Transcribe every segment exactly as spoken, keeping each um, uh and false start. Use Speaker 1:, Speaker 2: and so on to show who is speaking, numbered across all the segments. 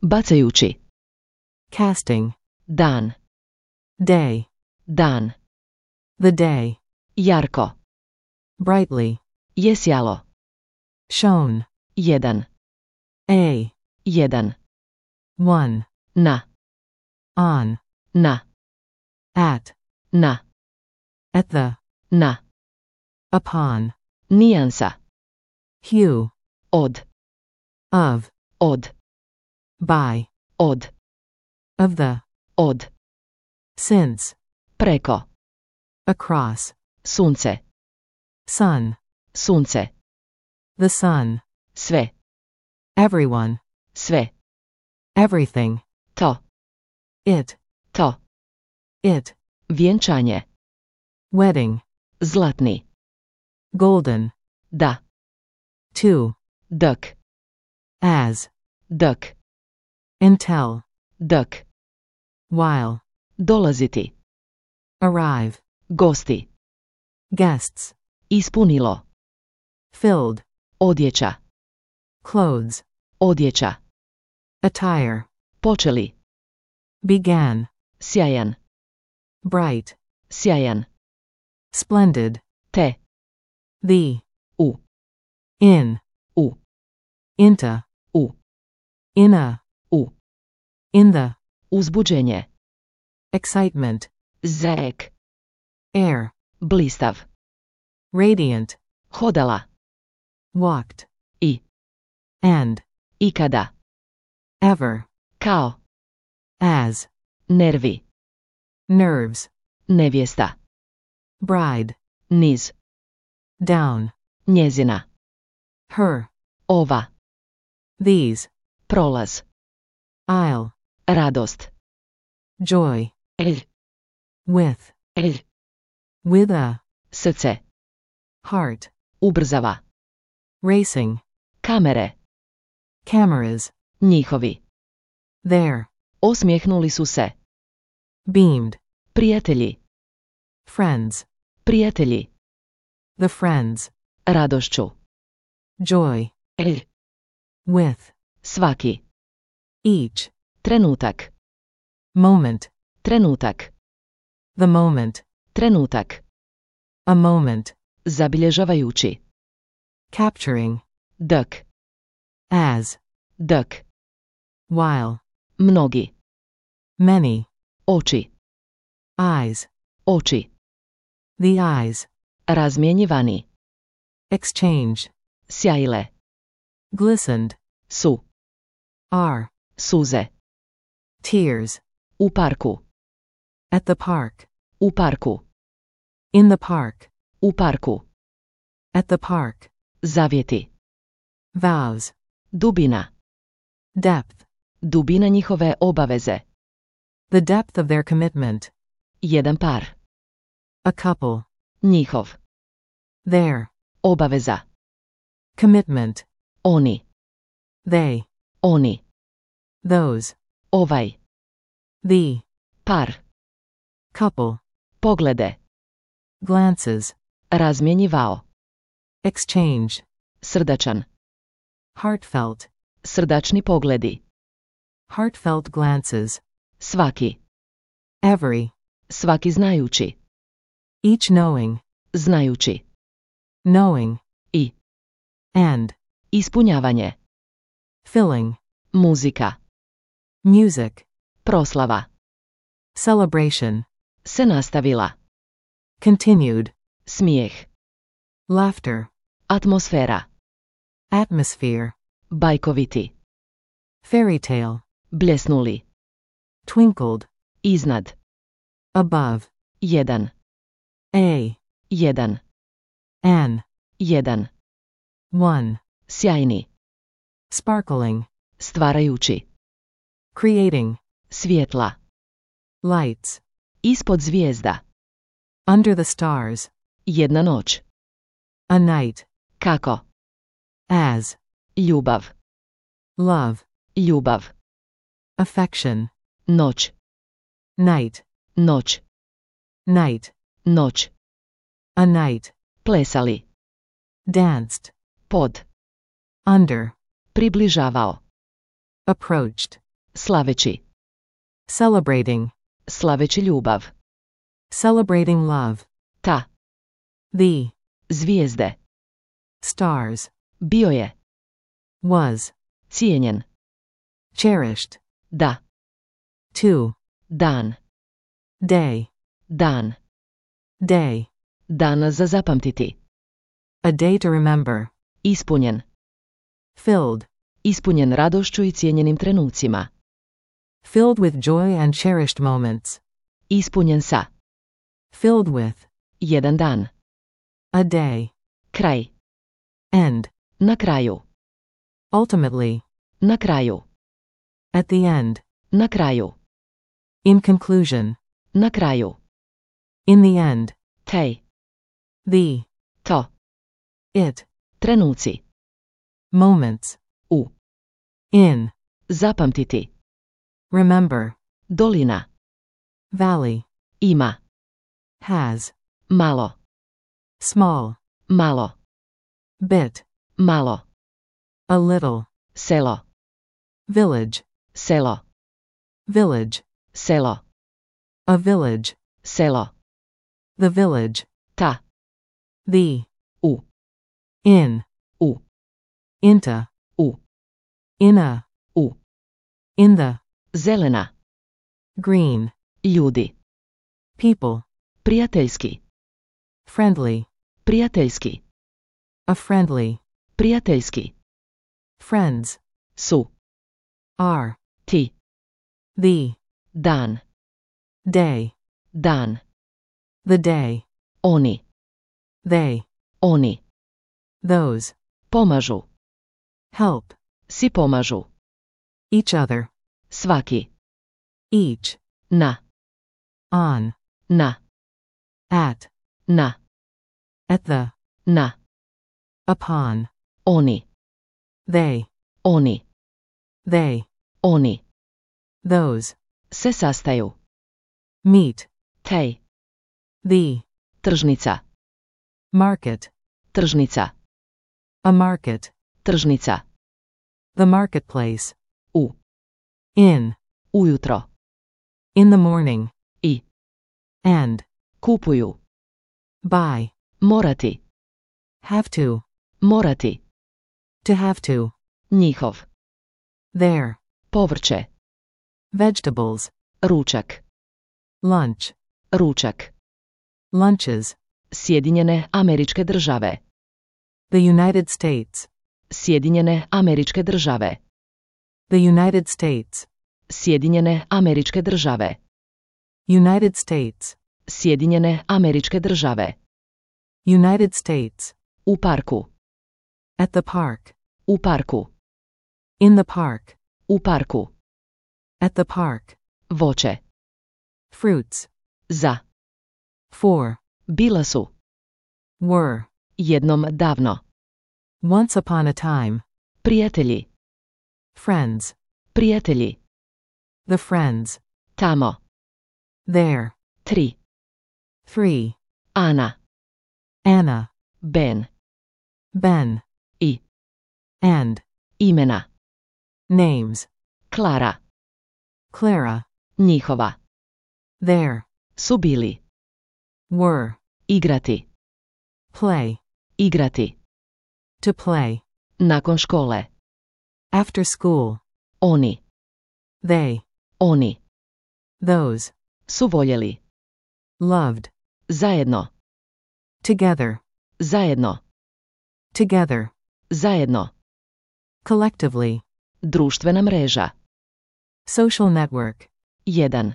Speaker 1: Bacajući.
Speaker 2: Casting.
Speaker 1: Dan.
Speaker 2: Day.
Speaker 1: Dan.
Speaker 2: The day.
Speaker 1: Jarko.
Speaker 2: Brightly.
Speaker 1: Jesjalo.
Speaker 2: Shown.
Speaker 1: Jedan.
Speaker 2: A.
Speaker 1: Jedan.
Speaker 2: One.
Speaker 1: Na.
Speaker 2: On.
Speaker 1: Na.
Speaker 2: At.
Speaker 1: Na.
Speaker 2: At the.
Speaker 1: Na.
Speaker 2: Upon.
Speaker 1: Nijansa.
Speaker 2: Hue.
Speaker 1: Od.
Speaker 2: Of.
Speaker 1: Od.
Speaker 2: By.
Speaker 1: Od.
Speaker 2: Of the.
Speaker 1: Od.
Speaker 2: Since.
Speaker 1: Preko.
Speaker 2: Across.
Speaker 1: Sunce.
Speaker 2: Sun.
Speaker 1: Sunce.
Speaker 2: The sun.
Speaker 1: Sve.
Speaker 2: Everyone.
Speaker 1: Sve.
Speaker 2: Everything.
Speaker 1: To.
Speaker 2: It.
Speaker 1: To.
Speaker 2: It.
Speaker 1: Vjenčanje.
Speaker 2: Wedding.
Speaker 1: Zlatni.
Speaker 2: Golden.
Speaker 1: Da.
Speaker 2: To.
Speaker 1: Dk.
Speaker 2: As.
Speaker 1: Dk.
Speaker 2: Until.
Speaker 1: Dk.
Speaker 2: While.
Speaker 1: Dolaziti.
Speaker 2: Arrive.
Speaker 1: Gosti.
Speaker 2: Guests.
Speaker 1: Ispunilo.
Speaker 2: Filled.
Speaker 1: Odjeća.
Speaker 2: Clothes.
Speaker 1: Odjeća.
Speaker 2: Attire.
Speaker 1: Počeli.
Speaker 2: Began.
Speaker 1: Sjajan.
Speaker 2: Bright.
Speaker 1: Sjajan.
Speaker 2: Splendid.
Speaker 1: Te.
Speaker 2: The.
Speaker 1: U.
Speaker 2: In.
Speaker 1: U.
Speaker 2: Into.
Speaker 1: U.
Speaker 2: In a.
Speaker 1: U.
Speaker 2: In the.
Speaker 1: Uzbuđenje.
Speaker 2: Excitement.
Speaker 1: Zek.
Speaker 2: Air.
Speaker 1: Blistav.
Speaker 2: Radiant.
Speaker 1: Hodala.
Speaker 2: Walked.
Speaker 1: I.
Speaker 2: And.
Speaker 1: Ikada.
Speaker 2: Ever.
Speaker 1: Kao.
Speaker 2: As.
Speaker 1: Nervi.
Speaker 2: Nerves.
Speaker 1: Nevjesta.
Speaker 2: Bride.
Speaker 1: Niz.
Speaker 2: Down.
Speaker 1: Njezina.
Speaker 2: Her.
Speaker 1: Ova.
Speaker 2: These.
Speaker 1: Prolaz.
Speaker 2: I'll.
Speaker 1: Radost.
Speaker 2: Joy.
Speaker 1: El.
Speaker 2: With.
Speaker 1: El.
Speaker 2: With a.
Speaker 1: Srce.
Speaker 2: Heart.
Speaker 1: Ubrzava.
Speaker 2: Racing.
Speaker 1: Kamere.
Speaker 2: Cameras.
Speaker 1: Njihovi.
Speaker 2: There.
Speaker 1: Osmijehnuli su se.
Speaker 2: Beamed.
Speaker 1: Prijatelji.
Speaker 2: Friends.
Speaker 1: Prijatelji.
Speaker 2: The friends.
Speaker 1: Radošću.
Speaker 2: Joy.
Speaker 1: El.
Speaker 2: With.
Speaker 1: Svaki.
Speaker 2: Each.
Speaker 1: Trenutak.
Speaker 2: Moment.
Speaker 1: Trenutak.
Speaker 2: The moment.
Speaker 1: Trenutak.
Speaker 2: A moment.
Speaker 1: Zabilježavajući.
Speaker 2: Capturing.
Speaker 1: Dk.
Speaker 2: As.
Speaker 1: Dk.
Speaker 2: While.
Speaker 1: Mnogi.
Speaker 2: Many.
Speaker 1: Oči.
Speaker 2: Eyes.
Speaker 1: Oči.
Speaker 2: The eyes.
Speaker 1: Razmjenjivani.
Speaker 2: Exchange.
Speaker 1: Sjajile.
Speaker 2: Glistened.
Speaker 1: Su.
Speaker 2: Are.
Speaker 1: Suze.
Speaker 2: Tears.
Speaker 1: U parku.
Speaker 2: At the park.
Speaker 1: U parku.
Speaker 2: In the park.
Speaker 1: U parku.
Speaker 2: At the park.
Speaker 1: Zavjeti.
Speaker 2: Vows.
Speaker 1: Dubina.
Speaker 2: Depth.
Speaker 1: Dubina njihove obaveze.
Speaker 2: The depth of their commitment.
Speaker 1: Jedan par.
Speaker 2: A couple.
Speaker 1: Njihov.
Speaker 2: Their.
Speaker 1: Obaveza.
Speaker 2: Commitment.
Speaker 1: Oni.
Speaker 2: They.
Speaker 1: Oni.
Speaker 2: Those.
Speaker 1: Ovaj.
Speaker 2: The.
Speaker 1: Par.
Speaker 2: Couple.
Speaker 1: Poglede.
Speaker 2: Glances.
Speaker 1: Razmjenjivao.
Speaker 2: Exchange.
Speaker 1: Srdačan.
Speaker 2: Heartfelt.
Speaker 1: Srdačni pogledi.
Speaker 2: Heartfelt glances.
Speaker 1: Svaki.
Speaker 2: Every.
Speaker 1: Svaki znajući.
Speaker 2: Each knowing.
Speaker 1: Znajući.
Speaker 2: Knowing.
Speaker 1: I.
Speaker 2: And.
Speaker 1: Ispunjavanje.
Speaker 2: Filling.
Speaker 1: Muzika.
Speaker 2: Music.
Speaker 1: Proslava.
Speaker 2: Celebration.
Speaker 1: Se nastavila.
Speaker 2: Continued.
Speaker 1: Smijeh.
Speaker 2: Laughter.
Speaker 1: Atmosfera.
Speaker 2: Atmosphere.
Speaker 1: Bajkoviti.
Speaker 2: Fairy tale.
Speaker 1: Bljesnuli.
Speaker 2: Twinkled.
Speaker 1: Iznad.
Speaker 2: Above.
Speaker 1: Jedan.
Speaker 2: A.
Speaker 1: Jedan.
Speaker 2: An.
Speaker 1: Jedan.
Speaker 2: One.
Speaker 1: Sjajni.
Speaker 2: Sparkling.
Speaker 1: Stvarajući.
Speaker 2: Creating.
Speaker 1: Svjetla.
Speaker 2: Lights.
Speaker 1: Ispod zvijezda.
Speaker 2: Under the stars.
Speaker 1: Jedna noć.
Speaker 2: A night.
Speaker 1: Kako?
Speaker 2: As.
Speaker 1: Ljubav.
Speaker 2: Love.
Speaker 1: Ljubav.
Speaker 2: Affection.
Speaker 1: Noć.
Speaker 2: Night.
Speaker 1: Noć.
Speaker 2: Night.
Speaker 1: Noć.
Speaker 2: A night.
Speaker 1: Plesali.
Speaker 2: Danced.
Speaker 1: Pod.
Speaker 2: Under.
Speaker 1: Približavao.
Speaker 2: Approached.
Speaker 1: Slaveći.
Speaker 2: Celebrating.
Speaker 1: Slaveći ljubav.
Speaker 2: Celebrating love.
Speaker 1: Ta.
Speaker 2: The.
Speaker 1: Zvijezde.
Speaker 2: Stars.
Speaker 1: Bio je.
Speaker 2: Was.
Speaker 1: Cijenjen.
Speaker 2: Cherished.
Speaker 1: Da.
Speaker 2: To.
Speaker 1: Dan.
Speaker 2: Day.
Speaker 1: Dan.
Speaker 2: Day.
Speaker 1: Dan za zapamtiti.
Speaker 2: A day to remember.
Speaker 1: Ispunjen.
Speaker 2: Filled.
Speaker 1: Ispunjen radošću i cijenjenim trenucima.
Speaker 2: Filled with joy and cherished moments.
Speaker 1: Ispunjen sa.
Speaker 2: Filled with.
Speaker 1: Jedan dan.
Speaker 2: A day.
Speaker 1: Kraj.
Speaker 2: End.
Speaker 1: Na kraju.
Speaker 2: Ultimately.
Speaker 1: Na kraju.
Speaker 2: At the end.
Speaker 1: Na kraju.
Speaker 2: In conclusion.
Speaker 1: Na kraju.
Speaker 2: In the end.
Speaker 1: Tej.
Speaker 2: The.
Speaker 1: To.
Speaker 2: It.
Speaker 1: Trenuci.
Speaker 2: Moments.
Speaker 1: U.
Speaker 2: In.
Speaker 1: Zapamtiti.
Speaker 2: Remember.
Speaker 1: Dolina.
Speaker 2: Valley.
Speaker 1: Ima.
Speaker 2: Has.
Speaker 1: Malo.
Speaker 2: Small.
Speaker 1: Malo.
Speaker 2: Bit.
Speaker 1: Malo.
Speaker 2: A little.
Speaker 1: Selo.
Speaker 2: Village.
Speaker 1: Selo.
Speaker 2: Village.
Speaker 1: Selo.
Speaker 2: A village.
Speaker 1: Selo.
Speaker 2: The village.
Speaker 1: Ta.
Speaker 2: The.
Speaker 1: U.
Speaker 2: In.
Speaker 1: U.
Speaker 2: Into.
Speaker 1: U.
Speaker 2: In a.
Speaker 1: U.
Speaker 2: In the.
Speaker 1: Zelena.
Speaker 2: Green.
Speaker 1: Ljudi.
Speaker 2: People.
Speaker 1: Prijateljski.
Speaker 2: Friendly.
Speaker 1: Prijateljski.
Speaker 2: A friendly.
Speaker 1: Prijateljski.
Speaker 2: Friends.
Speaker 1: Su.
Speaker 2: Are.
Speaker 1: Ti.
Speaker 2: The.
Speaker 1: Dan.
Speaker 2: Day.
Speaker 1: Dan.
Speaker 2: The day.
Speaker 1: Oni.
Speaker 2: They.
Speaker 1: Oni.
Speaker 2: Those.
Speaker 1: Pomažu.
Speaker 2: Help.
Speaker 1: Si pomažu.
Speaker 2: Each other.
Speaker 1: Svaki.
Speaker 2: Each.
Speaker 1: Na.
Speaker 2: On.
Speaker 1: Na.
Speaker 2: At.
Speaker 1: Na.
Speaker 2: At the.
Speaker 1: Na.
Speaker 2: Upon.
Speaker 1: Oni.
Speaker 2: They.
Speaker 1: Oni.
Speaker 2: They.
Speaker 1: Oni.
Speaker 2: Those.
Speaker 1: Se sastaju.
Speaker 2: Meet.
Speaker 1: Tej.
Speaker 2: The.
Speaker 1: Tržnica.
Speaker 2: Market.
Speaker 1: Tržnica.
Speaker 2: A market.
Speaker 1: Tržnica.
Speaker 2: The marketplace.
Speaker 1: U.
Speaker 2: In.
Speaker 1: Ujutro.
Speaker 2: In the morning.
Speaker 1: I.
Speaker 2: And.
Speaker 1: Kupuju.
Speaker 2: Buy.
Speaker 1: Morati.
Speaker 2: Have to.
Speaker 1: Morati.
Speaker 2: To have to.
Speaker 1: Njihov.
Speaker 2: There.
Speaker 1: Povrće.
Speaker 2: Vegetables.
Speaker 1: Ručak.
Speaker 2: Lunch.
Speaker 1: Ručak.
Speaker 2: Lunches.
Speaker 1: Sjedinjene Američke Države.
Speaker 2: The United States.
Speaker 1: Sjedinjene Američke Države.
Speaker 2: The United States.
Speaker 1: Sjedinjene Američke Države.
Speaker 2: United States.
Speaker 1: Sjedinjene Američke Države.
Speaker 2: United States.
Speaker 1: U parku.
Speaker 2: At the park.
Speaker 1: U parku.
Speaker 2: In the park.
Speaker 1: U parku.
Speaker 2: At the park.
Speaker 1: Voće.
Speaker 2: Fruits.
Speaker 1: Za.
Speaker 2: For.
Speaker 1: Bila su.
Speaker 2: Were.
Speaker 1: Jednom davno.
Speaker 2: Once upon a time.
Speaker 1: Prijatelji.
Speaker 2: Friends.
Speaker 1: Prijatelji.
Speaker 2: The friends.
Speaker 1: Tamo.
Speaker 2: There.
Speaker 1: Tri.
Speaker 2: Three.
Speaker 1: Ana.
Speaker 2: Anna.
Speaker 1: Ben.
Speaker 2: Ben.
Speaker 1: I.
Speaker 2: And.
Speaker 1: Imena.
Speaker 2: Names.
Speaker 1: Klara.
Speaker 2: Clara.
Speaker 1: Njihova.
Speaker 2: There.
Speaker 1: Su bili.
Speaker 2: Were.
Speaker 1: Igrati.
Speaker 2: Play.
Speaker 1: Igrati.
Speaker 2: To play.
Speaker 1: Nakon škole.
Speaker 2: After school.
Speaker 1: Oni.
Speaker 2: They.
Speaker 1: Oni.
Speaker 2: Those.
Speaker 1: Su voljeli.
Speaker 2: Loved.
Speaker 1: Zajedno.
Speaker 2: Together.
Speaker 1: Zajedno.
Speaker 2: Together.
Speaker 1: Zajedno.
Speaker 2: Collectively.
Speaker 1: Društvena mreža.
Speaker 2: Social network.
Speaker 1: Jedan.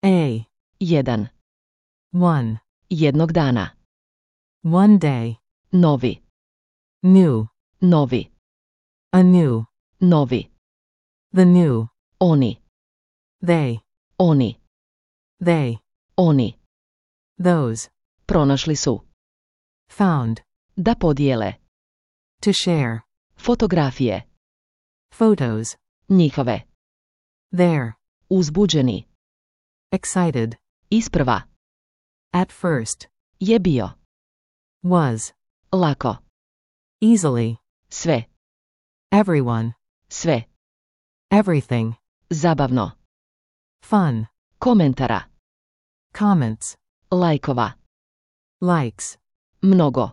Speaker 2: A.
Speaker 1: Jedan.
Speaker 2: One.
Speaker 1: Jednog dana.
Speaker 2: One day.
Speaker 1: Novi.
Speaker 2: New.
Speaker 1: Novi.
Speaker 2: A new.
Speaker 1: Novi.
Speaker 2: The new.
Speaker 1: Oni.
Speaker 2: They.
Speaker 1: Oni.
Speaker 2: They.
Speaker 1: Oni.
Speaker 2: Those.
Speaker 1: Pronašli su.
Speaker 2: Found.
Speaker 1: Da podijele.
Speaker 2: To share.
Speaker 1: Fotografije.
Speaker 2: Photos.
Speaker 1: Njihove.
Speaker 2: There.
Speaker 1: Uzbuđeni.
Speaker 2: Excited.
Speaker 1: Isprva.
Speaker 2: At first.
Speaker 1: Je bio.
Speaker 2: Was.
Speaker 1: Lako.
Speaker 2: Easily.
Speaker 1: Sve.
Speaker 2: Everyone.
Speaker 1: Sve.
Speaker 2: Everything.
Speaker 1: Zabavno.
Speaker 2: Fun.
Speaker 1: Komentara.
Speaker 2: Comments.
Speaker 1: Lajkova.
Speaker 2: Likes.
Speaker 1: Mnogo.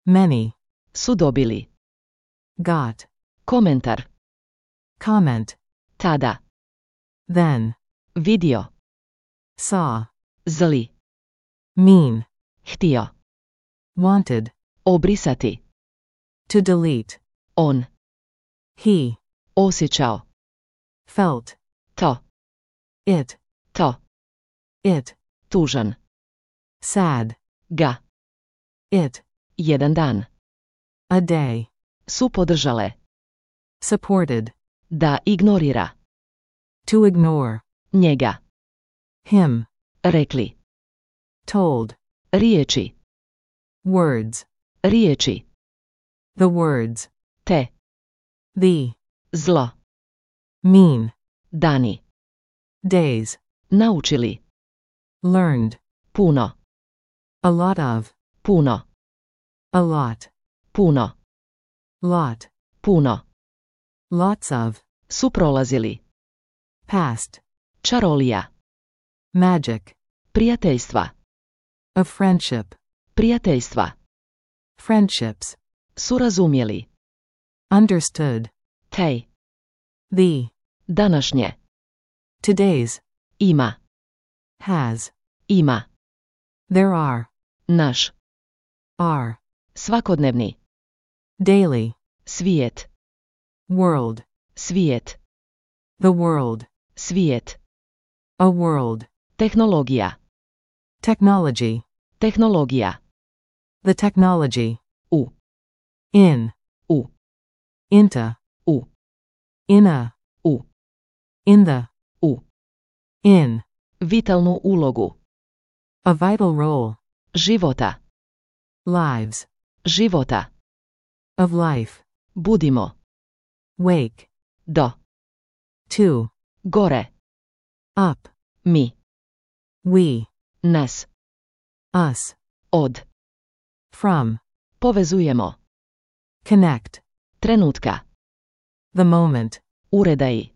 Speaker 2: Many.
Speaker 1: Su dobili.
Speaker 2: Got.
Speaker 1: Komentar.
Speaker 2: Comment.
Speaker 1: Tada.
Speaker 2: Then.
Speaker 1: Vidio.
Speaker 2: Saw.
Speaker 1: Zli.
Speaker 2: Mean.
Speaker 1: Htio.
Speaker 2: Wanted.
Speaker 1: Obrisati.
Speaker 2: To delete.
Speaker 1: On.
Speaker 2: He.
Speaker 1: Osjećao.
Speaker 2: Felt.
Speaker 1: To.
Speaker 2: It.
Speaker 1: To.
Speaker 2: It.
Speaker 1: Tužan.
Speaker 2: Sad.
Speaker 1: Ga.
Speaker 2: It.
Speaker 1: Jedan dan.
Speaker 2: A day.
Speaker 1: Su podržale.
Speaker 2: Supported.
Speaker 1: Da ignorira.
Speaker 2: To ignore.
Speaker 1: Njega.
Speaker 2: Him.
Speaker 1: Rekli.
Speaker 2: Told.
Speaker 1: Riječi.
Speaker 2: Words.
Speaker 1: Riječi.
Speaker 2: The words.
Speaker 1: Te.
Speaker 2: The.
Speaker 1: Zlo.
Speaker 2: Mean.
Speaker 1: Dani.
Speaker 2: Days.
Speaker 1: Naučili.
Speaker 2: Learned.
Speaker 1: Puno.
Speaker 2: A lot of.
Speaker 1: Puno.
Speaker 2: A lot.
Speaker 1: Puno.
Speaker 2: Lot.
Speaker 1: Puno.
Speaker 2: Lots of.
Speaker 1: Su prolazili.
Speaker 2: Past.
Speaker 1: Čarolija.
Speaker 2: Magic.
Speaker 1: Prijateljstva.
Speaker 2: Of friendship.
Speaker 1: Prijateljstva.
Speaker 2: Friendships.
Speaker 1: Su razumjeli.
Speaker 2: Understood.
Speaker 1: Tej.
Speaker 2: The.
Speaker 1: Današnje.
Speaker 2: Today's.
Speaker 1: Ima.
Speaker 2: Has.
Speaker 1: Ima.
Speaker 2: There are.
Speaker 1: Naš.
Speaker 2: Are.
Speaker 1: Svakodnevni.
Speaker 2: Daily.
Speaker 1: Svijet.
Speaker 2: World.
Speaker 1: Svijet.
Speaker 2: The world.
Speaker 1: Svijet.
Speaker 2: A world.
Speaker 1: Tehnologija.
Speaker 2: Technology.
Speaker 1: Tehnologija.
Speaker 2: The technology.
Speaker 1: U.
Speaker 2: In.
Speaker 1: U.
Speaker 2: Into.
Speaker 1: U.
Speaker 2: In a.
Speaker 1: U.
Speaker 2: In the.
Speaker 1: U.
Speaker 2: In.
Speaker 1: Vitalnu ulogu.
Speaker 2: A vital role.
Speaker 1: Života.
Speaker 2: Lives.
Speaker 1: Života.
Speaker 2: Of life.
Speaker 1: Budimo.
Speaker 2: Wake.
Speaker 1: Do.
Speaker 2: To.
Speaker 1: Gore.
Speaker 2: Up.
Speaker 1: Mi.
Speaker 2: We.
Speaker 1: Nas.
Speaker 2: Us.
Speaker 1: Od.
Speaker 2: From.
Speaker 1: Povezujemo.
Speaker 2: Connect.
Speaker 1: Trenutka.
Speaker 2: The moment.
Speaker 1: Uredaji.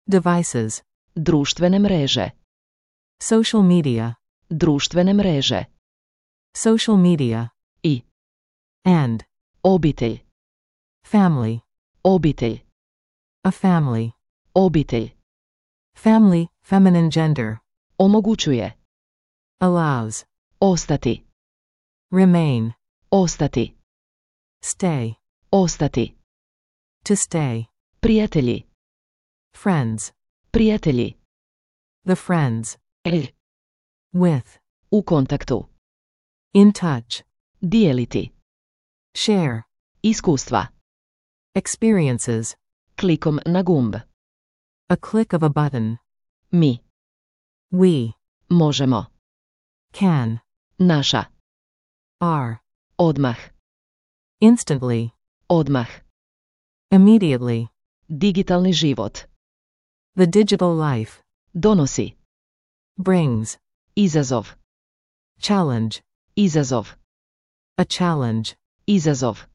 Speaker 2: Devices.
Speaker 1: Društvene mreže.
Speaker 2: Social media.
Speaker 1: Društvene mreže.
Speaker 2: Social media.
Speaker 1: I.
Speaker 2: And.
Speaker 1: Obitelj.
Speaker 2: Family.
Speaker 1: Obitelj.
Speaker 2: A family.
Speaker 1: Obitelj.
Speaker 2: Family, feminine gender.
Speaker 1: Omogućuje.
Speaker 2: Allows.
Speaker 1: Ostati.
Speaker 2: Remain.
Speaker 1: Ostati.
Speaker 2: Stay.
Speaker 1: Ostati.
Speaker 2: To stay.
Speaker 1: Prijatelji.
Speaker 2: Friends.
Speaker 1: Prijatelji.
Speaker 2: The friends.
Speaker 1: El.
Speaker 2: With.
Speaker 1: U kontaktu.
Speaker 2: In touch.
Speaker 1: Dijeliti.
Speaker 2: Share.
Speaker 1: Iskustva.
Speaker 2: Experiences.
Speaker 1: Klikom na gumb.
Speaker 2: A click of a button.
Speaker 1: Mi.
Speaker 2: We.
Speaker 1: Možemo.
Speaker 2: Can.
Speaker 1: Naša.
Speaker 2: Are.
Speaker 1: Odmah.
Speaker 2: Instantly.
Speaker 1: Odmah.
Speaker 2: Immediately.
Speaker 1: Digitalni život.
Speaker 2: The digital life.
Speaker 1: Donosi.
Speaker 2: Brings.
Speaker 1: Izazov.
Speaker 2: Challenge.
Speaker 1: Izazov.
Speaker 2: A challenge.
Speaker 1: Izazov.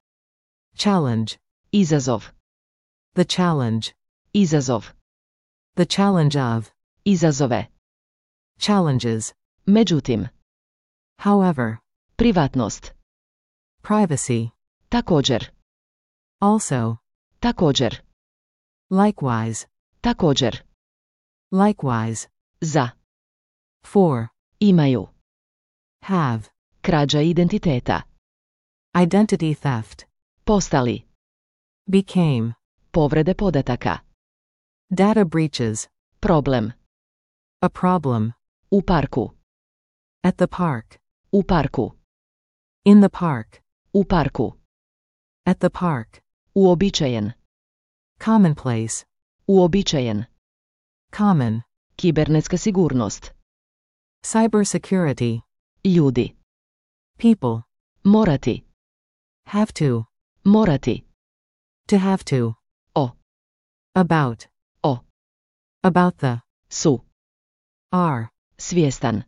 Speaker 2: Challenge.
Speaker 1: Izazov.
Speaker 2: The challenge.
Speaker 1: Izazov.
Speaker 2: The challenge of.
Speaker 1: Izazove.
Speaker 2: Challenges.
Speaker 1: Međutim.
Speaker 2: However.
Speaker 1: Privatnost.
Speaker 2: Privacy.
Speaker 1: Također.
Speaker 2: Also.
Speaker 1: Također.
Speaker 2: Likewise.
Speaker 1: Također.
Speaker 2: Likewise.
Speaker 1: Za.
Speaker 2: For.
Speaker 1: Imaju.
Speaker 2: Have.
Speaker 1: Krađa identiteta.
Speaker 2: Identity theft.
Speaker 1: Postali.
Speaker 2: Became.
Speaker 1: Povrede podataka.
Speaker 2: Data breaches.
Speaker 1: Problem.
Speaker 2: A problem.
Speaker 1: U parku.
Speaker 2: At the park.
Speaker 1: U parku.
Speaker 2: In the park.
Speaker 1: U parku.
Speaker 2: At the park.
Speaker 1: Uobičajen.
Speaker 2: Commonplace.
Speaker 1: Uobičajen.
Speaker 2: Common.
Speaker 1: Kibernetska sigurnost.
Speaker 2: Cybersecurity.
Speaker 1: Ljudi.
Speaker 2: People.
Speaker 1: Morati.
Speaker 2: Have to.
Speaker 1: Morati.
Speaker 2: To have to.
Speaker 1: O.
Speaker 2: About.
Speaker 1: O.
Speaker 2: About the.
Speaker 1: Su.
Speaker 2: Are.
Speaker 1: Svjestan.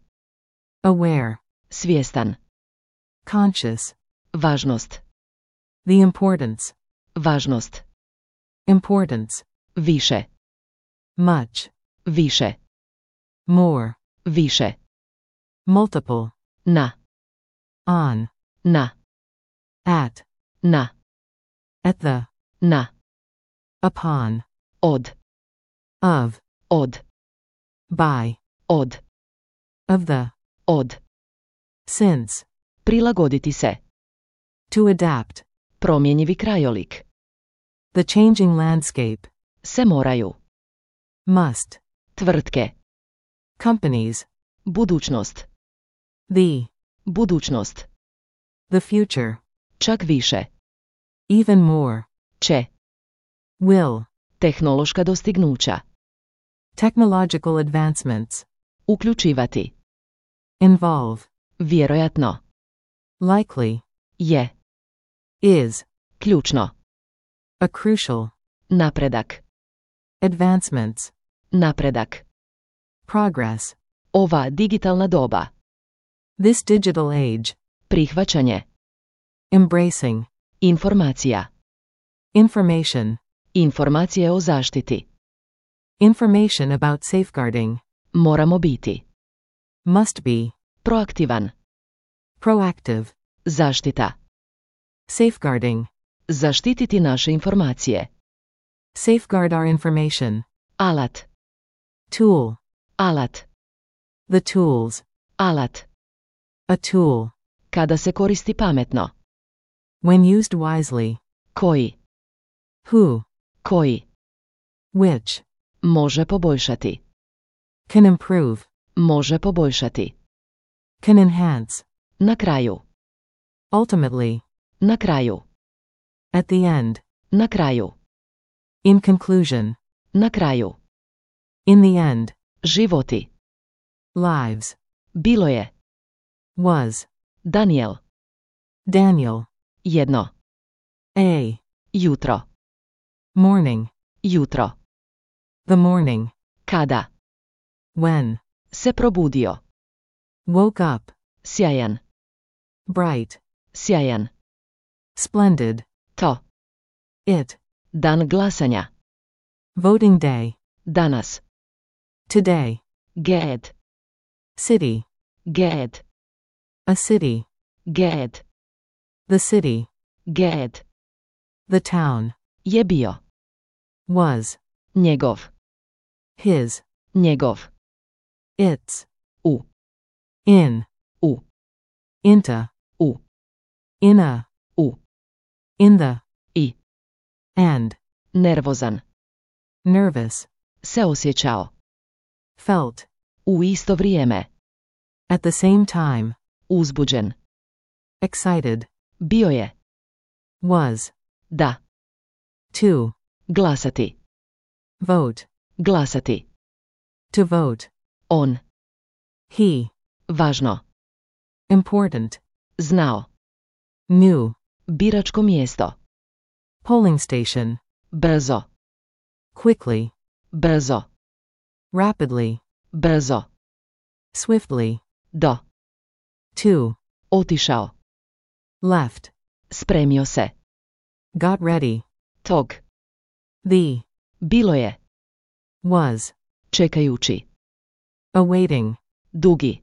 Speaker 2: Aware.
Speaker 1: Svjestan.
Speaker 2: Conscious.
Speaker 1: Važnost.
Speaker 2: The importance.
Speaker 1: Važnost.
Speaker 2: Importance.
Speaker 1: Više.
Speaker 2: much,
Speaker 1: Više.
Speaker 2: more,
Speaker 1: Više.
Speaker 2: multiple,
Speaker 1: Na.
Speaker 2: on,
Speaker 1: Na.
Speaker 2: at,
Speaker 1: Na.
Speaker 2: at the,
Speaker 1: Na.
Speaker 2: upon,
Speaker 1: Od.
Speaker 2: of,
Speaker 1: Od.
Speaker 2: by,
Speaker 1: Od.
Speaker 2: of the,
Speaker 1: Od.
Speaker 2: since,
Speaker 1: Prilagoditi se.
Speaker 2: to adapt,
Speaker 1: Promjenjivi krajolik.
Speaker 2: the changing landscape,
Speaker 1: Se moraju.
Speaker 2: must,
Speaker 1: Tvrtke.
Speaker 2: companies,
Speaker 1: Budućnost.
Speaker 2: the,
Speaker 1: Budućnost.
Speaker 2: the future,
Speaker 1: Čak više.
Speaker 2: even more,
Speaker 1: Će.
Speaker 2: will,
Speaker 1: Tehnološka dostignuća.
Speaker 2: technological advancements,
Speaker 1: Uključivati.
Speaker 2: involve,
Speaker 1: Vjerojatno.
Speaker 2: likely,
Speaker 1: Je.
Speaker 2: is,
Speaker 1: Ključno.
Speaker 2: a crucial,
Speaker 1: Napredak.
Speaker 2: advancements,
Speaker 1: Napredak.
Speaker 2: progress,
Speaker 1: Ova digitalna doba.
Speaker 2: this digital age,
Speaker 1: Prihvaćanje.
Speaker 2: embracing,
Speaker 1: Informacija.
Speaker 2: information,
Speaker 1: Informacije o zaštiti.
Speaker 2: information about safeguarding,
Speaker 1: Moramo biti.
Speaker 2: must be,
Speaker 1: Proaktivan.
Speaker 2: proactive,
Speaker 1: Zaštita.
Speaker 2: safeguarding,
Speaker 1: Zaštititi naše informacije.
Speaker 2: safeguard our information,
Speaker 1: Alat.
Speaker 2: tool,
Speaker 1: Alat.
Speaker 2: the tools,
Speaker 1: Alat.
Speaker 2: a tool,
Speaker 1: Kada se koristi pametno.
Speaker 2: when used wisely,
Speaker 1: Koji.
Speaker 2: who,
Speaker 1: Koji.
Speaker 2: which,
Speaker 1: Može poboljšati.
Speaker 2: can improve,
Speaker 1: Može poboljšati.
Speaker 2: can enhance,
Speaker 1: Na kraju.
Speaker 2: ultimately,
Speaker 1: Na kraju.
Speaker 2: at the end,
Speaker 1: Na kraju.
Speaker 2: in conclusion,
Speaker 1: Na kraju.
Speaker 2: in the end,
Speaker 1: Životi.
Speaker 2: lives,
Speaker 1: Bilo je.
Speaker 2: was,
Speaker 1: Daniel.
Speaker 2: Daniel,
Speaker 1: Jedno.
Speaker 2: a,
Speaker 1: Jutro.
Speaker 2: morning,
Speaker 1: Jutro.
Speaker 2: the morning,
Speaker 1: Kada.
Speaker 2: when,
Speaker 1: Se probudio.
Speaker 2: woke up,
Speaker 1: Sjajan.
Speaker 2: bright,
Speaker 1: Sjajan.
Speaker 2: splendid,
Speaker 1: To.
Speaker 2: it,
Speaker 1: Dan glasanja.
Speaker 2: voting day,
Speaker 1: Danas.
Speaker 2: today,
Speaker 1: Ged.
Speaker 2: city,
Speaker 1: Ged.
Speaker 2: a city,
Speaker 1: Ged.
Speaker 2: the city,
Speaker 1: Ged.
Speaker 2: the town,
Speaker 1: Je bio.
Speaker 2: was,
Speaker 1: Njegov.
Speaker 2: his,
Speaker 1: Njegov.
Speaker 2: its,
Speaker 1: U.
Speaker 2: in,
Speaker 1: U.
Speaker 2: into,
Speaker 1: U.
Speaker 2: in a,
Speaker 1: U.
Speaker 2: in the,
Speaker 1: I.
Speaker 2: and,
Speaker 1: Nervozan.
Speaker 2: nervous,
Speaker 1: Se osjećao.
Speaker 2: felt,
Speaker 1: U isto vrijeme.
Speaker 2: at the same time,
Speaker 1: Uzbuđen.
Speaker 2: excited,
Speaker 1: Bio je.
Speaker 2: was,
Speaker 1: Da.
Speaker 2: to,
Speaker 1: Glasati.
Speaker 2: vote,
Speaker 1: Glasati.
Speaker 2: to vote,
Speaker 1: On.
Speaker 2: he,
Speaker 1: Važno.
Speaker 2: important,
Speaker 1: Znao.
Speaker 2: new,
Speaker 1: Biračko mjesto.
Speaker 2: polling station,
Speaker 1: Brzo.
Speaker 2: quickly,
Speaker 1: Brzo.
Speaker 2: rapidly,
Speaker 1: Brzo.
Speaker 2: swiftly,
Speaker 1: Do.
Speaker 2: to,
Speaker 1: Otišao.
Speaker 2: left,
Speaker 1: Spremio se.
Speaker 2: got ready,
Speaker 1: Tog.
Speaker 2: the,
Speaker 1: Bilo je.
Speaker 2: was,
Speaker 1: Čekajući.
Speaker 2: awaiting,
Speaker 1: Dugi.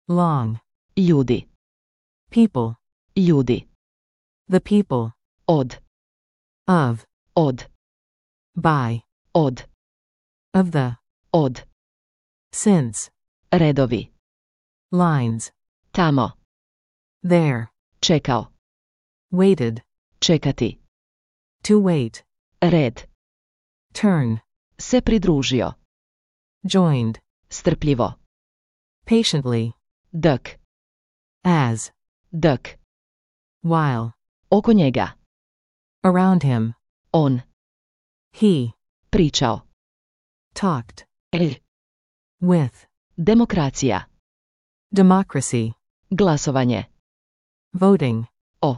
Speaker 2: long,
Speaker 1: Ljudi.
Speaker 2: people,
Speaker 1: Ljudi.
Speaker 2: the people,
Speaker 1: Od.
Speaker 2: of,
Speaker 1: Od.
Speaker 2: by,
Speaker 1: Od.
Speaker 2: of the,
Speaker 1: Od.
Speaker 2: since,
Speaker 1: Redovi.
Speaker 2: lines,
Speaker 1: Tamo.
Speaker 2: there,
Speaker 1: Čekao.
Speaker 2: waited,
Speaker 1: Čekati.
Speaker 2: to wait,
Speaker 1: Red.
Speaker 2: turn,
Speaker 1: Se pridružio.
Speaker 2: joined,
Speaker 1: Strpljivo.
Speaker 2: patiently,
Speaker 1: Dk.
Speaker 2: as,
Speaker 1: Dk.
Speaker 2: while,
Speaker 1: Oko njega.
Speaker 2: around him,
Speaker 1: On.
Speaker 2: he,
Speaker 1: Pričao.
Speaker 2: talked,
Speaker 1: E.
Speaker 2: with,
Speaker 1: Demokracija.
Speaker 2: democracy,
Speaker 1: Glasovanje.
Speaker 2: voting,
Speaker 1: O.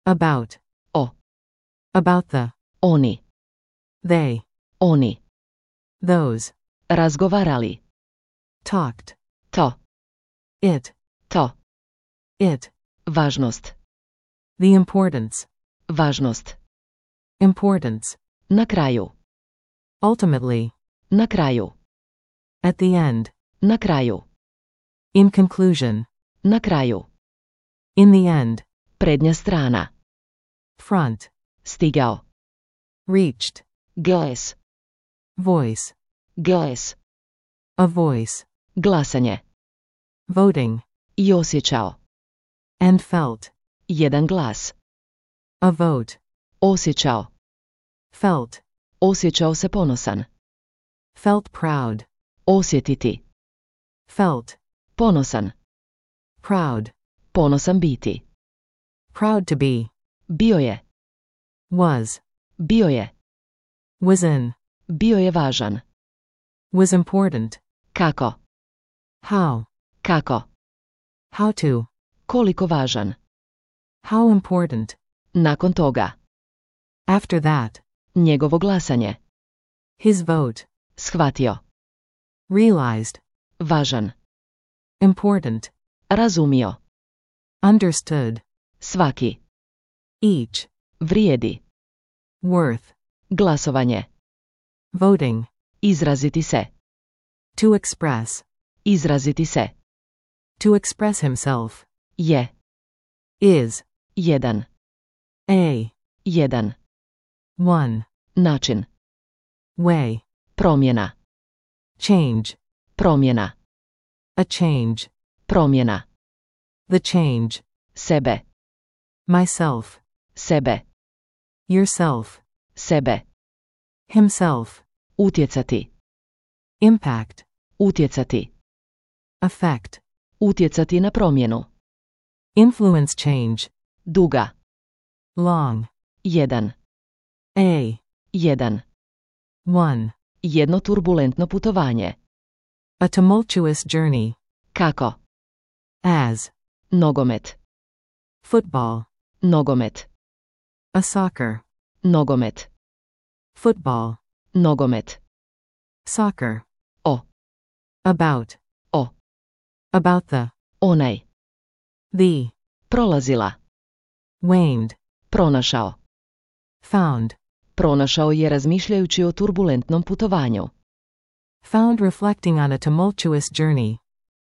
Speaker 2: about,
Speaker 1: O.
Speaker 2: about the,
Speaker 1: Oni.
Speaker 2: they,
Speaker 1: Oni.
Speaker 2: those,
Speaker 1: Razgovarali.
Speaker 2: talked,
Speaker 1: To.
Speaker 2: it,
Speaker 1: To.
Speaker 2: it,
Speaker 1: Važnost.
Speaker 2: the importance,
Speaker 1: Važnost.
Speaker 2: importance,
Speaker 1: Na kraju.
Speaker 2: ultimately,
Speaker 1: Na kraju.
Speaker 2: At the end.
Speaker 1: Na kraju.
Speaker 2: In conclusion.
Speaker 1: Na kraju.
Speaker 2: In the end.
Speaker 1: Prednja strana.
Speaker 2: Front.
Speaker 1: Stigao.
Speaker 2: Reached.
Speaker 1: Glas.
Speaker 2: Voice.
Speaker 1: Glas.
Speaker 2: A voice.
Speaker 1: Glasanje.
Speaker 2: Voting.
Speaker 1: I osjećao.
Speaker 2: And felt.
Speaker 1: Jedan glas.
Speaker 2: A vote.
Speaker 1: Osjećao.
Speaker 2: Felt.
Speaker 1: Osjećao se ponosan.
Speaker 2: Felt proud.
Speaker 1: Osjetiti.
Speaker 2: Felt.
Speaker 1: Ponosan.
Speaker 2: Proud.
Speaker 1: Ponosan biti.
Speaker 2: Proud to be.
Speaker 1: Bio je.
Speaker 2: Was.
Speaker 1: Bio je.
Speaker 2: Was in.
Speaker 1: Bio je važan.
Speaker 2: Was important.
Speaker 1: Kako?
Speaker 2: How.
Speaker 1: Kako?
Speaker 2: How to.
Speaker 1: Koliko važan?
Speaker 2: How important.
Speaker 1: Nakon toga.
Speaker 2: After that.
Speaker 1: Njegovo glasanje.
Speaker 2: His vote.
Speaker 1: Shvatio.
Speaker 2: Realized.
Speaker 1: Važan.
Speaker 2: Important.
Speaker 1: Razumio.
Speaker 2: Understood.
Speaker 1: Svaki.
Speaker 2: Each.
Speaker 1: Vrijedi.
Speaker 2: Worth.
Speaker 1: Glasovanje.
Speaker 2: Voting.
Speaker 1: Izraziti se.
Speaker 2: To express.
Speaker 1: Izraziti se.
Speaker 2: To express himself.
Speaker 1: Je.
Speaker 2: Is.
Speaker 1: Jedan.
Speaker 2: A.
Speaker 1: Jedan.
Speaker 2: One.
Speaker 1: Način.
Speaker 2: Way.
Speaker 1: Promjena.
Speaker 2: Change.
Speaker 1: Promjena.
Speaker 2: A change.
Speaker 1: Promjena.
Speaker 2: The change.
Speaker 1: Sebe.
Speaker 2: Myself.
Speaker 1: Sebe.
Speaker 2: Yourself.
Speaker 1: Sebe.
Speaker 2: Himself.
Speaker 1: Utjecati.
Speaker 2: Impact.
Speaker 1: Utjecati.
Speaker 2: Effect.
Speaker 1: Utjecati na promjenu.
Speaker 2: Influence change.
Speaker 1: Duga.
Speaker 2: Long.
Speaker 1: Jedan.
Speaker 2: A.
Speaker 1: Jedan.
Speaker 2: One.
Speaker 1: Jedno turbulentno putovanje.
Speaker 2: A tumultuous journey.
Speaker 1: Kako?
Speaker 2: As.
Speaker 1: Nogomet.
Speaker 2: Football.
Speaker 1: Nogomet.
Speaker 2: A soccer.
Speaker 1: Nogomet.
Speaker 2: Football.
Speaker 1: Nogomet.
Speaker 2: Soccer.
Speaker 1: O.
Speaker 2: About.
Speaker 1: O.
Speaker 2: About the.
Speaker 1: Onaj.
Speaker 2: The.
Speaker 1: Prolazila.
Speaker 2: Waned.
Speaker 1: Pronašao.
Speaker 2: Found.
Speaker 1: Pronašao je razmišljajući o turbulentnom putovanju.
Speaker 2: Found reflecting on a tumultuous journey.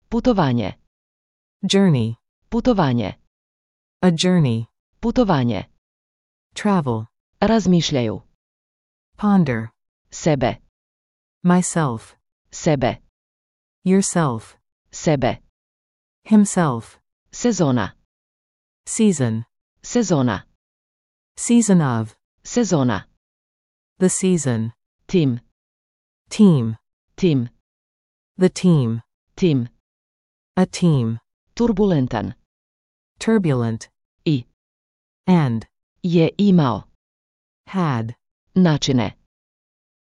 Speaker 1: Putovanje.
Speaker 2: Journey.
Speaker 1: Putovanje.
Speaker 2: A journey.
Speaker 1: Putovanje.
Speaker 2: Travel.
Speaker 1: Razmišljaju.
Speaker 2: Ponder.
Speaker 1: Sebe.
Speaker 2: Myself.
Speaker 1: Sebe.
Speaker 2: Yourself.
Speaker 1: Sebe.
Speaker 2: Himself.
Speaker 1: Sezona.
Speaker 2: Season.
Speaker 1: Sezona.
Speaker 2: Season of.
Speaker 1: Sezona.
Speaker 2: The season.
Speaker 1: Tim.
Speaker 2: Team.
Speaker 1: Tim.
Speaker 2: The team.
Speaker 1: Tim.
Speaker 2: A team.
Speaker 1: Turbulentan.
Speaker 2: Turbulent.
Speaker 1: I.
Speaker 2: And.
Speaker 1: Je imao.
Speaker 2: Had.
Speaker 1: Načine.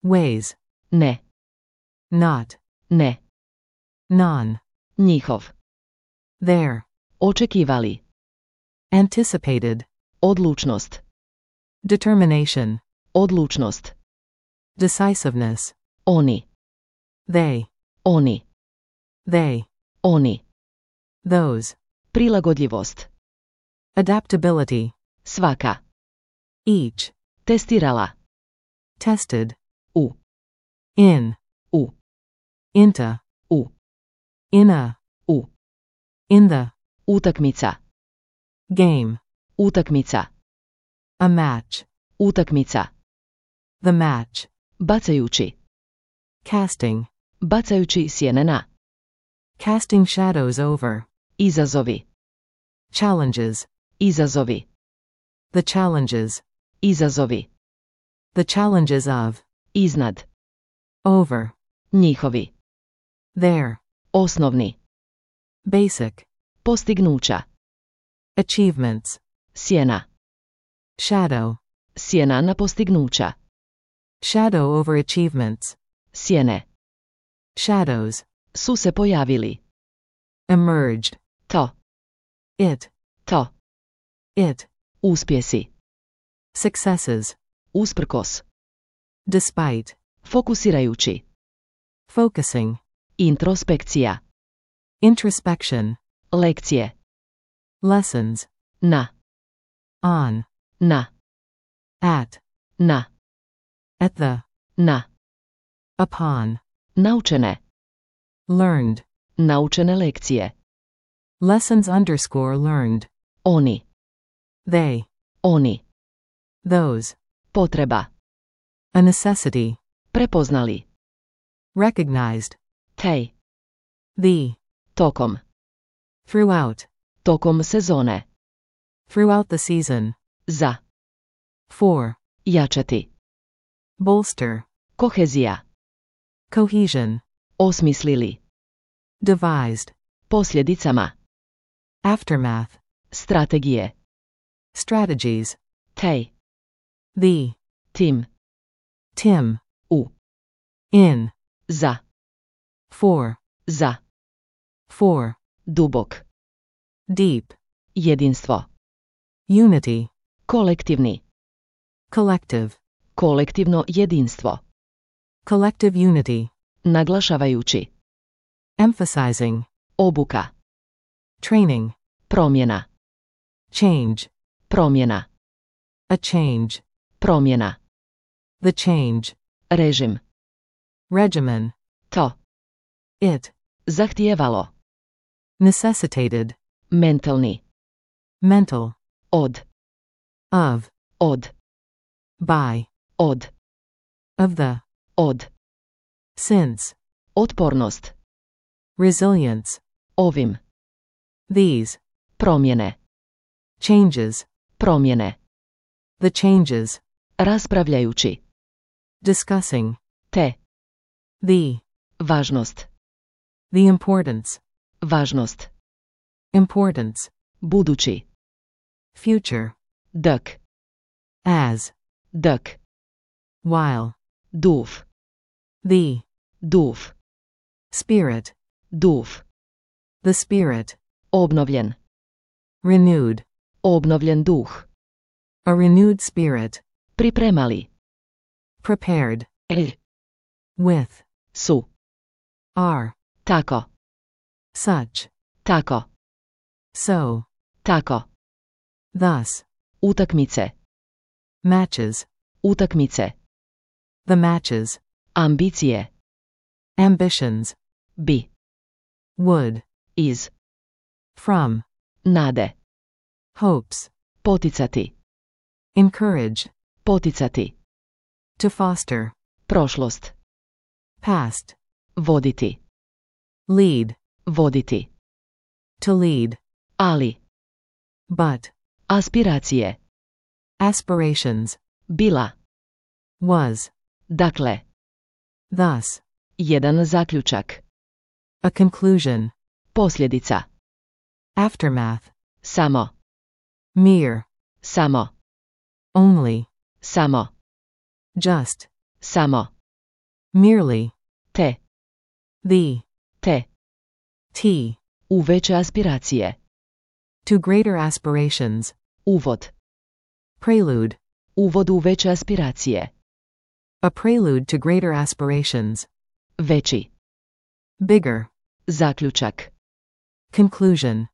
Speaker 2: Ways.
Speaker 1: Ne.
Speaker 2: Not.
Speaker 1: Ne.
Speaker 2: Non.
Speaker 1: Njihov.
Speaker 2: There.
Speaker 1: Očekivali.
Speaker 2: Anticipated.
Speaker 1: Odlučnost.
Speaker 2: Determination.
Speaker 1: Odlučnost.
Speaker 2: Decisiveness.
Speaker 1: Oni.
Speaker 2: They.
Speaker 1: Oni.
Speaker 2: They.
Speaker 1: Oni.
Speaker 2: Those.
Speaker 1: Prilagodljivost.
Speaker 2: Adaptability.
Speaker 1: Svaka.
Speaker 2: Each.
Speaker 1: Testirala.
Speaker 2: Tested.
Speaker 1: U.
Speaker 2: In.
Speaker 1: U.
Speaker 2: Into.
Speaker 1: U.
Speaker 2: In a.
Speaker 1: U.
Speaker 2: In the.
Speaker 1: Utakmica.
Speaker 2: Game.
Speaker 1: Utakmica.
Speaker 2: A match.
Speaker 1: Utakmica.
Speaker 2: The match.
Speaker 1: Bacajući.
Speaker 2: Casting.
Speaker 1: Bacajući sjene na.
Speaker 2: Casting shadows over.
Speaker 1: Izazovi.
Speaker 2: Challenges.
Speaker 1: Izazovi.
Speaker 2: The challenges.
Speaker 1: Izazovi.
Speaker 2: The challenges of.
Speaker 1: Iznad.
Speaker 2: Over.
Speaker 1: Njihovi.
Speaker 2: There.
Speaker 1: Osnovni.
Speaker 2: Basic.
Speaker 1: Postignuća.
Speaker 2: Achievements.
Speaker 1: Sjena.
Speaker 2: Shadow.
Speaker 1: Sjena na postignuća.
Speaker 2: Shadow over achievements.
Speaker 1: Sjene.
Speaker 2: Shadows.
Speaker 1: Su se pojavili.
Speaker 2: Emerged.
Speaker 1: To.
Speaker 2: It.
Speaker 1: To.
Speaker 2: It.
Speaker 1: Uspjesi.
Speaker 2: Successes.
Speaker 1: Usprkos.
Speaker 2: Despite.
Speaker 1: Fokusirajući.
Speaker 2: Focusing.
Speaker 1: Introspekcija.
Speaker 2: Introspection.
Speaker 1: Lekcije.
Speaker 2: Lessons.
Speaker 1: Na.
Speaker 2: On.
Speaker 1: Na.
Speaker 2: At.
Speaker 1: Na.
Speaker 2: At the.
Speaker 1: Na.
Speaker 2: Upon.
Speaker 1: Naučene.
Speaker 2: Learned.
Speaker 1: Naučene lekcije.
Speaker 2: Lessons underscore learned.
Speaker 1: Oni.
Speaker 2: They.
Speaker 1: Oni.
Speaker 2: Those.
Speaker 1: Potreba.
Speaker 2: A necessity.
Speaker 1: Prepoznali.
Speaker 2: Recognized.
Speaker 1: Tej.
Speaker 2: The.
Speaker 1: Tokom.
Speaker 2: Throughout.
Speaker 1: Tokom sezone.
Speaker 2: Throughout the season.
Speaker 1: Za.
Speaker 2: For.
Speaker 1: Jačati.
Speaker 2: Bolster.
Speaker 1: Kohezija.
Speaker 2: Cohesion.
Speaker 1: Osmislili.
Speaker 2: Devised.
Speaker 1: Posljedicama.
Speaker 2: Aftermath.
Speaker 1: Strategije.
Speaker 2: Strategies.
Speaker 1: Tej.
Speaker 2: The.
Speaker 1: Tim.
Speaker 2: Tim.
Speaker 1: U.
Speaker 2: In.
Speaker 1: Za.
Speaker 2: For.
Speaker 1: Za.
Speaker 2: For.
Speaker 1: Dubok.
Speaker 2: Deep.
Speaker 1: Jedinstvo.
Speaker 2: Unity.
Speaker 1: Kolektivni.
Speaker 2: Collective.
Speaker 1: Kolektivno jedinstvo.
Speaker 2: Collective unity.
Speaker 1: Naglašavajući.
Speaker 2: Emphasizing.
Speaker 1: Obuka.
Speaker 2: Training.
Speaker 1: Promjena.
Speaker 2: Change.
Speaker 1: Promjena.
Speaker 2: A change.
Speaker 1: Promjena.
Speaker 2: The change.
Speaker 1: Režim.
Speaker 2: Regimen.
Speaker 1: To.
Speaker 2: It.
Speaker 1: Zahtijevalo.
Speaker 2: Necessitated.
Speaker 1: Mentalni.
Speaker 2: Mental.
Speaker 1: Od.
Speaker 2: Of.
Speaker 1: Od.
Speaker 2: By.
Speaker 1: Od.
Speaker 2: Of the.
Speaker 1: Od.
Speaker 2: Since.
Speaker 1: Otpornost.
Speaker 2: Resilience.
Speaker 1: Ovim.
Speaker 2: These.
Speaker 1: Promjene.
Speaker 2: Changes.
Speaker 1: Promjene.
Speaker 2: The changes.
Speaker 1: Raspravljajući.
Speaker 2: Discussing.
Speaker 1: Te.
Speaker 2: The.
Speaker 1: Važnost.
Speaker 2: The importance.
Speaker 1: Važnost.
Speaker 2: Importance.
Speaker 1: Budući.
Speaker 2: Future.
Speaker 1: Dök.
Speaker 2: As.
Speaker 1: Dök.
Speaker 2: While.
Speaker 1: Duv.
Speaker 2: The.
Speaker 1: Duv.
Speaker 2: Spirit.
Speaker 1: Duv.
Speaker 2: The spirit.
Speaker 1: Obnovljen.
Speaker 2: Renewed.
Speaker 1: Obnovljen duh.
Speaker 2: A renewed spirit.
Speaker 1: Pripremali.
Speaker 2: Prepared.
Speaker 1: E.
Speaker 2: With.
Speaker 1: Su.
Speaker 2: Are.
Speaker 1: Tako.
Speaker 2: Such.
Speaker 1: Tako.
Speaker 2: So.
Speaker 1: Tako.
Speaker 2: Thus.
Speaker 1: Utakmice.
Speaker 2: Matches.
Speaker 1: Utakmice.
Speaker 2: The matches.
Speaker 1: Ambicije.
Speaker 2: Ambitions.
Speaker 1: Bi.
Speaker 2: Would.
Speaker 1: Iz.
Speaker 2: From.
Speaker 1: Nade.
Speaker 2: Hopes.
Speaker 1: Poticati.
Speaker 2: Encourage.
Speaker 1: Poticati.
Speaker 2: To foster.
Speaker 1: Prošlost.
Speaker 2: Past.
Speaker 1: Voditi.
Speaker 2: Lead.
Speaker 1: Voditi.
Speaker 2: To lead.
Speaker 1: Ali.
Speaker 2: But.
Speaker 1: Aspiracije.
Speaker 2: Aspirations.
Speaker 1: Bila.
Speaker 2: Was.
Speaker 1: Dakle.
Speaker 2: Thus.
Speaker 1: Jedan zaključak.
Speaker 2: A conclusion.
Speaker 1: Posljedica.
Speaker 2: Aftermath.
Speaker 1: Samo.
Speaker 2: Mere.
Speaker 1: Samo.
Speaker 2: Only.
Speaker 1: Samo.
Speaker 2: Just.
Speaker 1: Samo.
Speaker 2: Merely.
Speaker 1: Te.
Speaker 2: The.
Speaker 1: Te.
Speaker 2: T.
Speaker 1: U veće aspiracije.
Speaker 2: To greater aspirations.
Speaker 1: Uvod.
Speaker 2: Prelude.
Speaker 1: Uvod u veće aspiracije.
Speaker 2: A prelude to greater aspirations.
Speaker 1: Veći.
Speaker 2: Bigger.
Speaker 1: Zaključak.
Speaker 2: Conclusion.